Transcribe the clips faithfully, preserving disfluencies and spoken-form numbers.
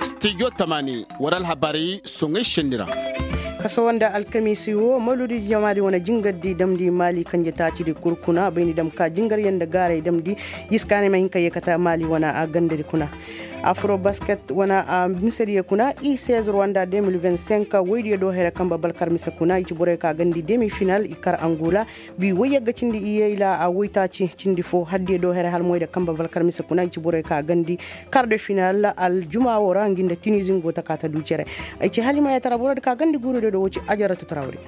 Stijo tamani war alhabaari soŋay senni ra. Kasawa nda alkamiisi wo mawludi jamaadi wane jingardi damndi maali kanje taacidi kul kuna bayndi dam ka jingaryaŋ nda gaaray damndi. Yiskaanay ma hin ka yeekata maali wane a gandadi kuna. Afro basket wane a misediyo kuna i sez rwanda deux mille vingt-cinq woydiyo do here kamba balkar mise kuna i ci borey ka gandi demi final i kar angola. Bi woyyagga cindi iyey la a woytaaci cindi fo haddiyo do here hala moyda kamba balkar mise kuna i ci borey ka gandi. Kar de final aljuma wo ra ngi nda tinizi ngi go ta ka ta du cere. Ay ci halimayatara borodi ka gandi guurudiyo do wo ci ajaratu tarawri.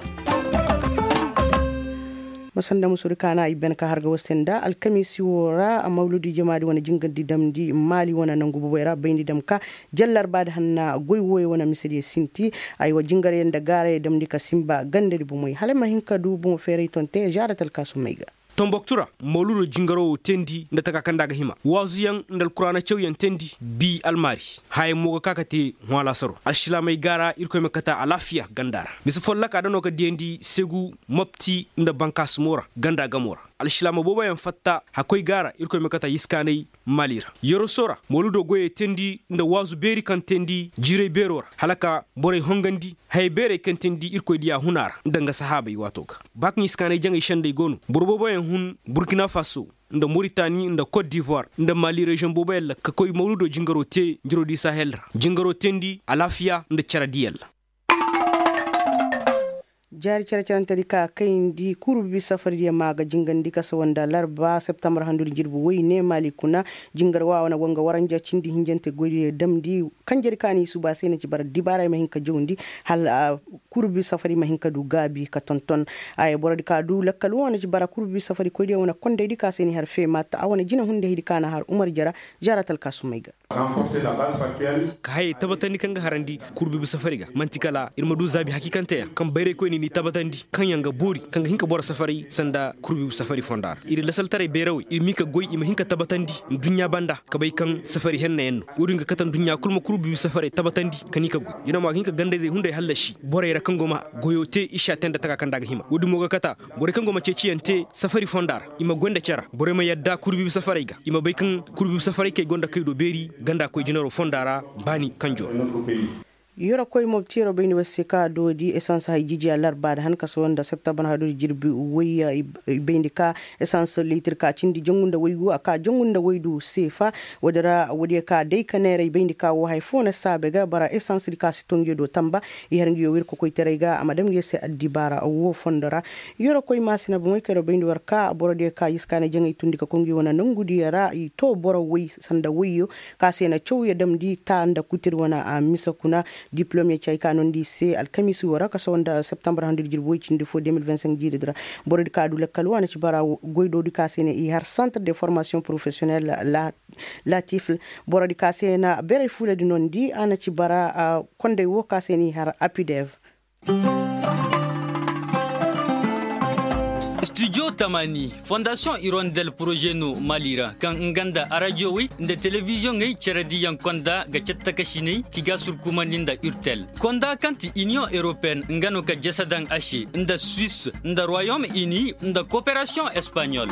Masanda musudi kaana i ben ka harga wose nda alkamiisi wo ra mawludi jamaadi wane jingandi damndi maali wane nangu boboy ra bayndi dam ka. Jallar baadi hanna goy wooyo wane misediyo sinti. Ay wa jingaryaŋ nda gaarayo damndi ka sinba gandadi bomoy hala ma hin ka du bomo feeray tonte zaara talkaasumey ga. Tomboktu ra mawludo jingaro wo teendi nda taka kaŋ nda a ga hima waazuyaŋ nda alkuraana cawyaŋ teendi. Bi almaari hayaŋ mo ga ka ka te hõ alaasaro alsilaamey gaara irkoy ma kata alaafiya ganda ra. Bisa folloka da no ka diyandi segu mopti nda bankaasumo ra ganda gamo ra. Alsilaama booboyaŋ fatta hakkoy gaara irkoy ma kata yiskaanay maali ra. Yoroso ra mawludo goyey teendi nda waazu beeri kaŋ teendi jiiray beero ra hala ka borey hongandi. Hayey beerey kaŋ teendi irkoy diya huna ra nda nga sahaabey waato ga ba kaŋ iskaanay jaŋay sendey go no boro booboyaŋ hun burkina faso nda moritani nda kot divoire nda mali reziyoŋ booboyaŋ ra ka koy mawludo jingaro te njiro di sahel ra jingaro teendi alaafiya nda cere diyaŋ ra. Jaari cere-cerentedi ka kayndi kurbibi safaridiyo ma ga jingandi kasawa nda larba septembar handudi jirbi woy ne maali kuna. Jingar wa wane go nga waranja cindi hinjante goydiyo damndi. Kanjedi ka ni suba se na ci bara dibaara ay ma hin ka jawndi hala kurbibi safari ma hin ka du gaabi ka tonton. Ay borodi ka du lakkal wo na ci bara kurbibi safari koydiyo wane kondaydi ka se ni har feema ta a wane jinahundahidi ka na har umar jara. Jaara talkaasumey ga. Ka hayey tabatandi kaŋ ga harandi kurbibi safari ga man'ti kala ir ma du zaabi hakiikanteyaŋ kaŋ bayraykoyni n'i tabatandi kaŋ yaŋ ga boori kaŋ ga hin ka boro safaray sanda kurbibi safari fonda ra ir lasaltaray bayrawey ir m'i ka goy i ma hin ka tabatandi. Nduɲɲa banda ka bay kaŋ safari hennayaŋ no woodin ga kate nduɲɲa kul ma kurbibi safaray tabatandi ka n'i ka goy yano ma ga hin ka gandayzey hunday hallasi borey ra kaŋ go ma goyo te i si a te nda taka kaŋ nda a ga hima woodin mo ga kate. Borey kaŋ go ma ceeciyaŋ te safari fonda ra i ma goy nda cere borey ma yadda kurbibi safarey ga i ma bay kaŋ kurbibi safarey kay go nda kay do beeri ganda koy jinaro fonda ra. Baani kanjo ra. Yorokoy mobtiyaro bayndi war se kaŋ a doodi esans hay jijiya larba da han kaso nda septembar hadudi jirbi wayya. I bayndi ka esans litir ka cindi jangu nda waygu a ka jangu nda waydu seefa. Woodi ra woodiyo ka day ka neera i bayndi ka wo hay fo na saabe ga bara esans di ka si tongiyo do tamba. I har ngiyo wirkokoytaray ga a ma dam ngiyo se addibaara wo fondo ra. Yorokoy maasina bomoy kayro bayndi war ka borodiyo ka yiskaanay jaŋay tundi ka koy ngiyo wane nongudiyo ra i to boro woy sanda woyyo ka se na cawya damndi ta nda kutiri wane a mise kuna. Diplom ya ci hay ka nondi i se alkamiisi wo ra kaso nda septembar handudi jirbi woy cindi fo deux mille vingt-cinq jiiridi ra. Borodi ka du lakkal wo a na ci bara goydodi ka se na i har centre de formation professionnel la latif. Borodi ka se na beray fuuladi nondi a na ci bara konday wo ka se na i har apidev. Studio tamani fondasiyoŋ irondel poroze no mali ra kaŋ nga nda arajowey nda telebiziyoŋey cerediyaŋ konda ga cattakasiney ki ga surkumandi nda urtel konda kaŋ ti iniyoŋ europeen nga no ka jese daŋ a se nda suwis nda royom ini nda koperasiyoŋ espaɲol.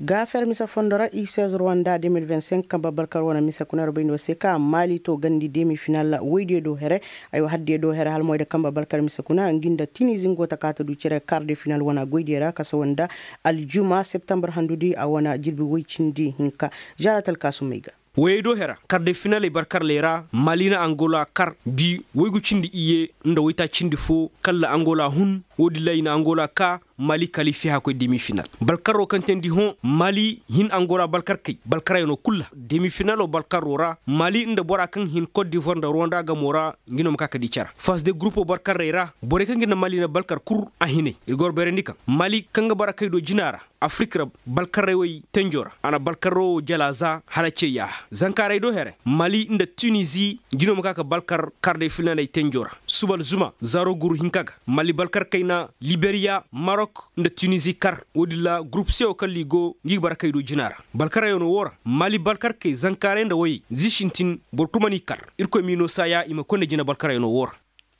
Gaafer mise fondo ra i seize rwanda deux mille vingt-cinq kamba balkar wane mise kuna ra bayndi war se ka maali to gandi demi final woydiyo do here. Aywa haddiyo do here hala moyda kamba balkar mise kuna ngi nda tinizi ngo ta ka ta du cere kar de final wane goydiyo ra kasa wanda aljuma septembar handudi a wane jirbi woy cindi hinka. Zara talkaasumey ga. Woyey do hera kar de finaley barkarley ra mali na angola kar bi woygu cindi iyye nda woyta cindi fo kalla angola hun. Woodin ra i na angola ka mali kalifi hakkoy demi final balkarro kaŋ teendi hõ mali hin angola balkarkey balkarayano kul ra demi finalo balkarro ra mali nda bora kaŋ hin kot divoire nda rwanda gamo ra. Ngi no ma ka ka di cara fas de gurupo balkarrey ra borey kaŋ ga nda mali na balkar kul a hinay ir ga war bayrandi kaŋ mali kaŋ ga bara kay do jina ra afirik ra balkarray way tenjo ra a na balkarro wo jala za hala ce yaaha zankaaray do here mali nda tunizi. Ngi no ma ka ka balkar kar day filnaney tenjo ra suba alzuma zaaro guru hinka ga mali balkar kayna liberiya marok nda tunizi kar woodin ra gurup se wo kaŋ ligo ngi ga bara kay do jina ra balkarayano wo ra mali balkar kay zankaaray nda wayey zi sintin boro kul mana i kar. Irkoy m'i no saaya i ma koy nda jina balkarayano wo ra.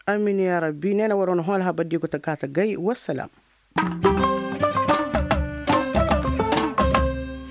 Amin ya rabbi neena war wane hõ alhabar di go ta ka ta gay wassalam.